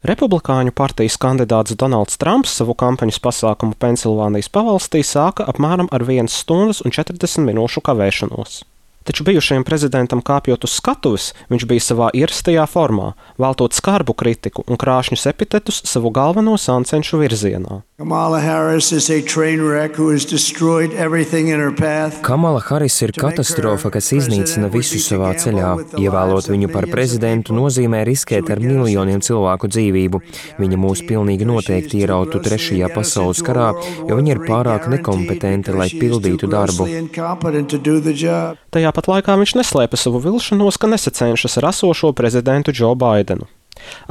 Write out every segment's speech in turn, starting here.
Republikāņu partijas kandidāts Donalds Trumps savu kampaņas pasākumu Pensilvānijas pavalstī sāka apmēram ar 1 stundas un 40 minūšu kavēšanos. Taču bijušajam prezidentam kāpjot uz skatuves, viņš bija savā ierastajā formā, veltot skarbu kritiku un krāšņus epitetus savu galveno sancenšu virzienā. Kamala Haris ir katastrofa, kas iznīcina visu savā ceļā. Ievēlot viņu par prezidentu nozīmē riskēt ar miljoniem cilvēku dzīvību. Viņa mūs pilnīgi noteikti ierautu 3. pasaules karā, jo viņa ir pārāk nekompetenta, lai pildītu darbu. Tajā pat laikā viņš neslēpa savu vilšanos, ka nesacenšas ar esošo prezidentu Džo Baidenu.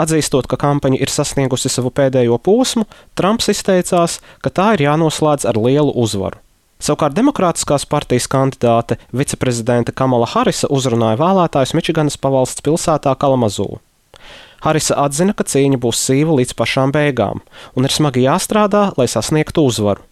Atzīstot, ka kampaņa ir sasniegusi savu pēdējo posmu, Trumps izteicās, ka tā ir jānoslēdz ar lielu uzvaru. Savukārt Demokrātiskās partijas kandidāte, viceprezidente Kamala Harisa uzrunāja vēlētājus Mičiganas pavalsts pilsētā Kalamazoo. Harisa atzina, ka cīņa būs sīva līdz pašām beigām, un ir smagi jāstrādā, lai sasniegtu uzvaru.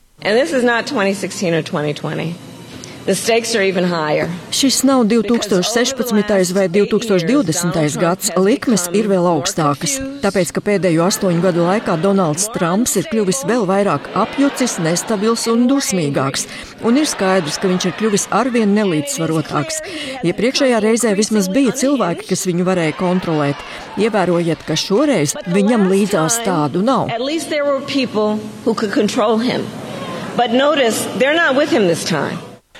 Šis nav 2016. vai 2020. gads, likmes ir vēl augstākas, tāpēc, ka pēdējo 8 gadu laikā Donalds Trumps ir kļuvis vēl vairāk apjucis, nestabils un dusmīgāks, un ir skaidrs, ka viņš ir kļuvis arvien nelīdzsvarotāks. Iepriekšējā reizē vismaz bija cilvēki, kas viņu varēja kontrolēt. Ievērojiet, ka šoreiz viņam līdzās tādu nav.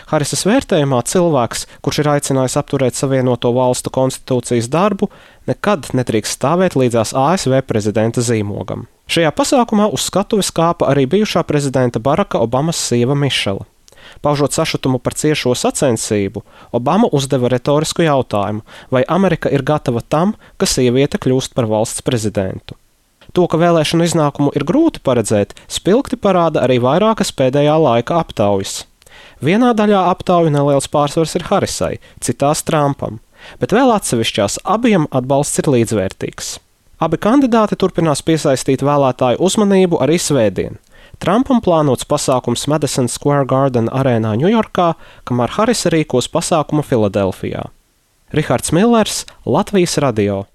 Harisas vērtējumā cilvēks, kurš ir aicinājis apturēt Savienoto Valstu konstitūcijas darbu, nekad nedrīkst stāvēt līdzās ASV prezidenta zīmogam. Šajā pasākumā uz skatuves kāpa arī bijušā prezidenta Baraka Obamas sieva Mišela. Paužot sašutumu par ciešo sacensību, Obama uzdeva retorisku jautājumu, vai Amerika ir gatava tam, ka sieviete kļūst par valsts prezidentu. To, ka vēlēšanu iznākumu ir grūti paredzēt, spilgti parāda arī vairākas pēdējā laika aptaujas. Vienā daļā aptauju neliels pārsvars ir Harisai, citās Trumpam, bet vēl atsevišķās abiem atbalsts ir līdzvērtīgs. Abi kandidāti turpinās piesaistīt vēlētāju uzmanību arī svētdien. Trumpam plānots pasākums Madison Square Garden arēnā Ņujorkā, kamēr Harisa rīkos pasākumu Filadelfijā. Rihards Millers, Latvijas radio.